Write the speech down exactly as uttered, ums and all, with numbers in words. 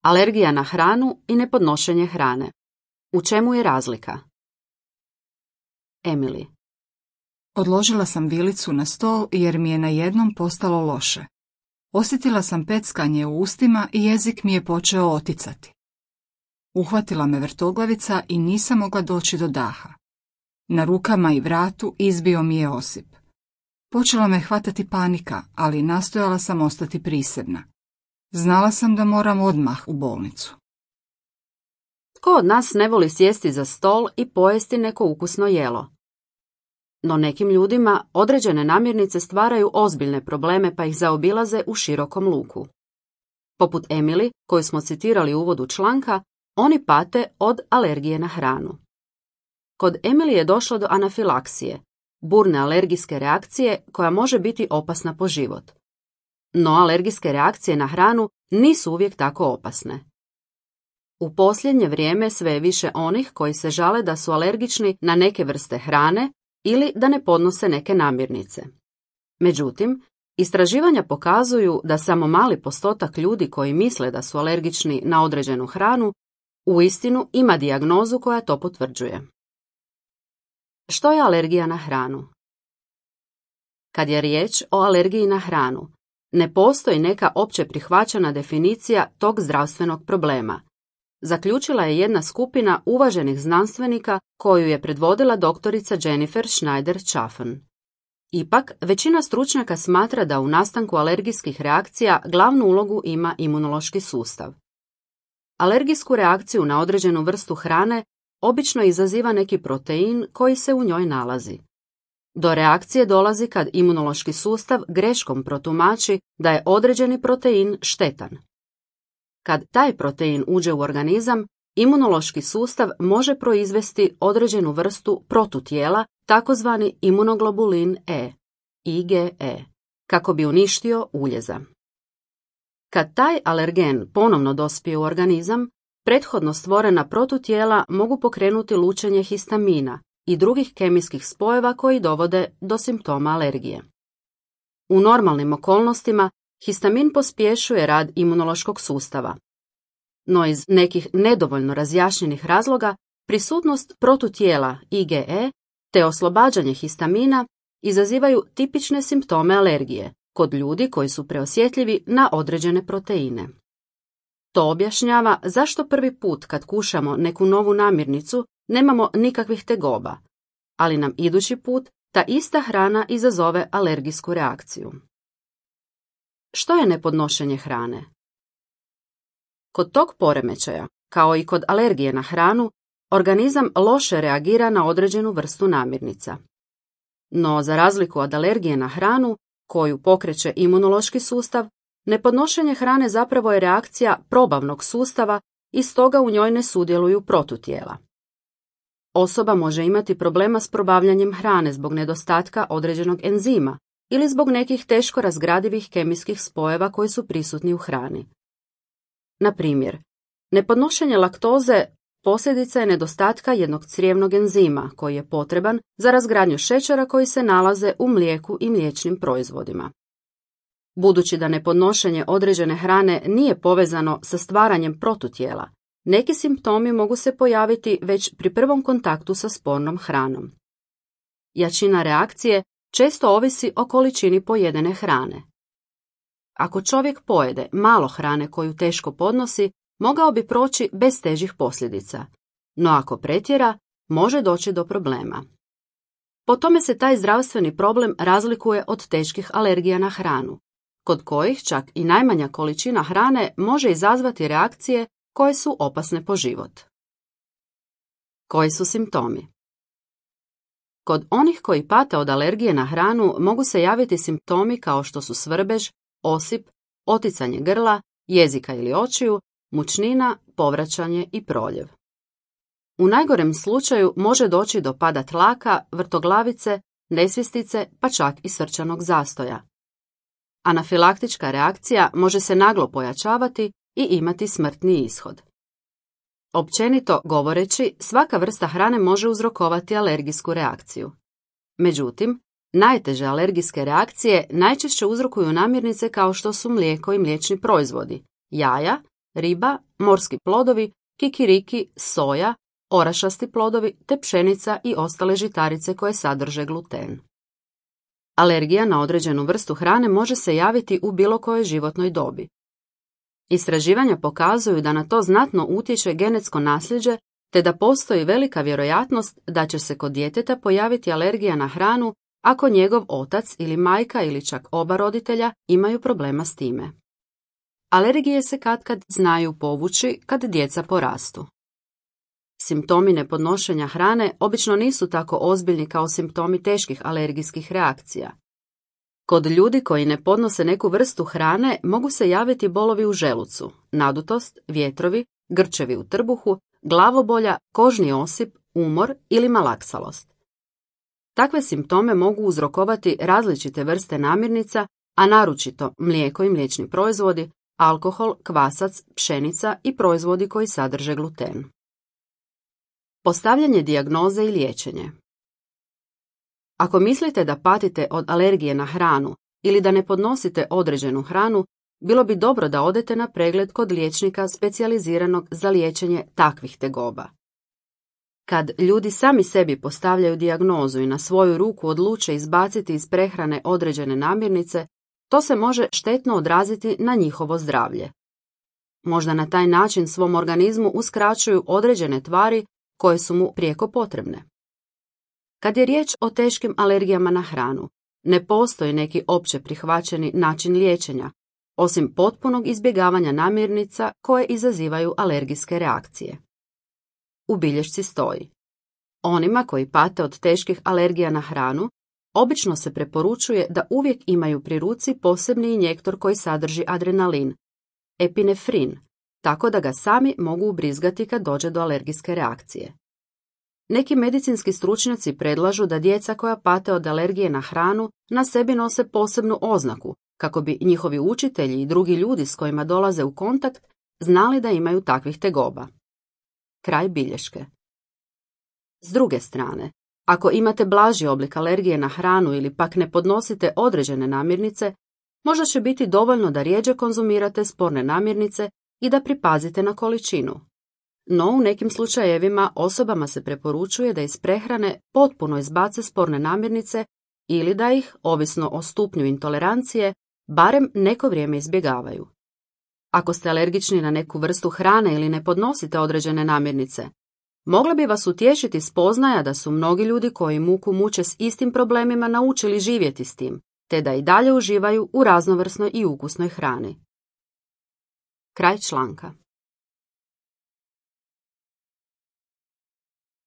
Alergija na hranu i nepodnošenje hrane. U čemu je razlika? Emily. Odložila sam vilicu na stol jer mi je najednom postalo loše. Osjetila sam peckanje u ustima i jezik mi je počeo oticati. Uhvatila me vrtoglavica i nisam mogla doći do daha. Na rukama i vratu izbio mi je osip. Počela me hvatati panika, ali nastojala sam ostati prisebna. Znala sam da moram odmah u bolnicu. Tko od nas ne voli sjesti za stol i pojesti neko ukusno jelo? No nekim ljudima određene namirnice stvaraju ozbiljne probleme pa ih zaobilaze u širokom luku. Poput Emily, koju smo citirali u uvodu članka, oni pate od alergije na hranu. Kod Emily je došlo do anafilaksije, burne alergijske reakcije koja može biti opasna po život. No alergijske reakcije na hranu nisu uvijek tako opasne. U posljednje vrijeme sve je više onih koji se žale da su alergični na neke vrste hrane ili da ne podnose neke namirnice. Međutim, istraživanja pokazuju da samo mali postotak ljudi koji misle da su alergični na određenu hranu uistinu ima dijagnozu koja to potvrđuje. Što je alergija na hranu? Kad je riječ o alergiji na hranu, ne postoji neka opće prihvaćena definicija tog zdravstvenog problema. Zaključila je jedna skupina uvaženih znanstvenika koju je predvodila doktorica Jennifer Schneider-Chaffin. Ipak, većina stručnjaka smatra da u nastanku alergijskih reakcija glavnu ulogu ima imunološki sustav. Alergijsku reakciju na određenu vrstu hrane obično izaziva neki protein koji se u njoj nalazi. Do reakcije dolazi kad imunološki sustav greškom protumači da je određeni protein štetan. Kad taj protein uđe u organizam, imunološki sustav može proizvesti određenu vrstu protutijela, takozvani imunoglobulin E, I G E, kako bi uništio uljeza. Kad taj alergen ponovno dospije u organizam, prethodno stvorena protutijela mogu pokrenuti lučenje histamina i drugih kemijskih spojeva koji dovode do simptoma alergije. U normalnim okolnostima histamin pospješuje rad imunološkog sustava. No iz nekih nedovoljno razjašnjenih razloga prisutnost protutijela I G E te oslobađanje histamina izazivaju tipične simptome alergije kod ljudi koji su preosjetljivi na određene proteine. To objašnjava zašto prvi put kad kušamo neku novu namirnicu nemamo nikakvih tegoba, ali nam idući put ta ista hrana izazove alergijsku reakciju. Što je nepodnošenje hrane? Kod tog poremećaja, kao i kod alergije na hranu, organizam loše reagira na određenu vrstu namirnica. No, za razliku od alergije na hranu, koju pokreće imunološki sustav, nepodnošenje hrane zapravo je reakcija probavnog sustava i stoga u njoj ne sudjeluju protutijela. Osoba može imati problema s probavljanjem hrane zbog nedostatka određenog enzima ili zbog nekih teško razgradivih kemijskih spojeva koji su prisutni u hrani. Na primjer, nepodnošenje laktoze posljedica je nedostatka jednog crijevnog enzima koji je potreban za razgradnju šećera koji se nalaze u mlijeku i mliječnim proizvodima. Budući da nepodnošenje određene hrane nije povezano sa stvaranjem protutijela, neki simptomi mogu se pojaviti već pri prvom kontaktu sa spornom hranom. Jačina reakcije često ovisi o količini pojedene hrane. Ako čovjek pojede malo hrane koju teško podnosi, mogao bi proći bez težih posljedica, no ako pretjera, može doći do problema. Po tome se taj zdravstveni problem razlikuje od teških alergija na hranu, kod kojih čak i najmanja količina hrane može izazvati reakcije koje su opasne po život. Koji su simptomi? Kod onih koji pate od alergije na hranu mogu se javiti simptomi kao što su svrbež, osip, oticanje grla, jezika ili očiju, mučnina, povraćanje i proljev. U najgorem slučaju može doći do pada tlaka, vrtoglavice, nesvjestice pa čak i srčanog zastoja. Anafilaktička reakcija može se naglo pojačavati i imati smrtni ishod. Općenito govoreći, svaka vrsta hrane može uzrokovati alergijsku reakciju. Međutim, najteže alergijske reakcije najčešće uzrokuju namirnice kao što su mlijeko i mliječni proizvodi, jaja riba, morski plodovi, kikiriki, soja, orašasti plodovi te pšenica i ostale žitarice koje sadrže gluten. Alergija na određenu vrstu hrane može se javiti u bilo kojoj životnoj dobi. Istraživanja pokazuju da na to znatno utječe genetsko nasljeđe, te da postoji velika vjerojatnost da će se kod djeteta pojaviti alergija na hranu ako njegov otac ili majka ili čak oba roditelja imaju problema s time. Alergije se katkad znaju povući kad djeca porastu. Simptomi nepodnošenja hrane obično nisu tako ozbiljni kao simptomi teških alergijskih reakcija. Kod ljudi koji ne podnose neku vrstu hrane mogu se javiti bolovi u želucu, nadutost, vjetrovi, grčevi u trbuhu, glavobolja, kožni osip, umor ili malaksalost. Takve simptome mogu uzrokovati različite vrste namirnica, a naročito mlijeko i mliječni proizvodi, alkohol, kvasac, pšenica i proizvodi koji sadrže gluten. Postavljanje dijagnoze i liječenje. Ako mislite da patite od alergije na hranu ili da ne podnosite određenu hranu, bilo bi dobro da odete na pregled kod liječnika specijaliziranog za liječenje takvih tegoba. Kad ljudi sami sebi postavljaju dijagnozu i na svoju ruku odluče izbaciti iz prehrane određene namirnice, to se može štetno odraziti na njihovo zdravlje. Možda na taj način svom organizmu uskraćuju određene tvari koje su mu prijeko potrebne. Kad je riječ o teškim alergijama na hranu, ne postoji neki opće prihvaćeni način liječenja, osim potpunog izbjegavanja namirnica koje izazivaju alergijske reakcije. U bilješci stoji: onima koji pate od teških alergija na hranu, obično se preporučuje da uvijek imaju pri ruci posebni injektor koji sadrži adrenalin, epinefrin, tako da ga sami mogu ubrizgati kad dođe do alergijske reakcije. Neki medicinski stručnjaci predlažu da djeca koja pate od alergije na hranu na sebi nose posebnu oznaku, kako bi njihovi učitelji i drugi ljudi s kojima dolaze u kontakt znali da imaju takvih tegoba. Kraj bilješke. S druge strane, ako imate blaži oblik alergije na hranu ili pak ne podnosite određene namirnice, možda će biti dovoljno da rjeđe konzumirate sporne namirnice i da pripazite na količinu. No, u nekim slučajevima osobama se preporučuje da iz prehrane potpuno izbace sporne namirnice ili da ih, ovisno o stupnju intolerancije, barem neko vrijeme izbjegavaju. Ako ste alergični na neku vrstu hrane ili ne podnosite određene namirnice, mogla bi vas utješiti spoznaja da su mnogi ljudi koji muku muče s istim problemima naučili živjeti s tim, te da i dalje uživaju u raznovrsnoj i ukusnoj hrani. Kraj članka.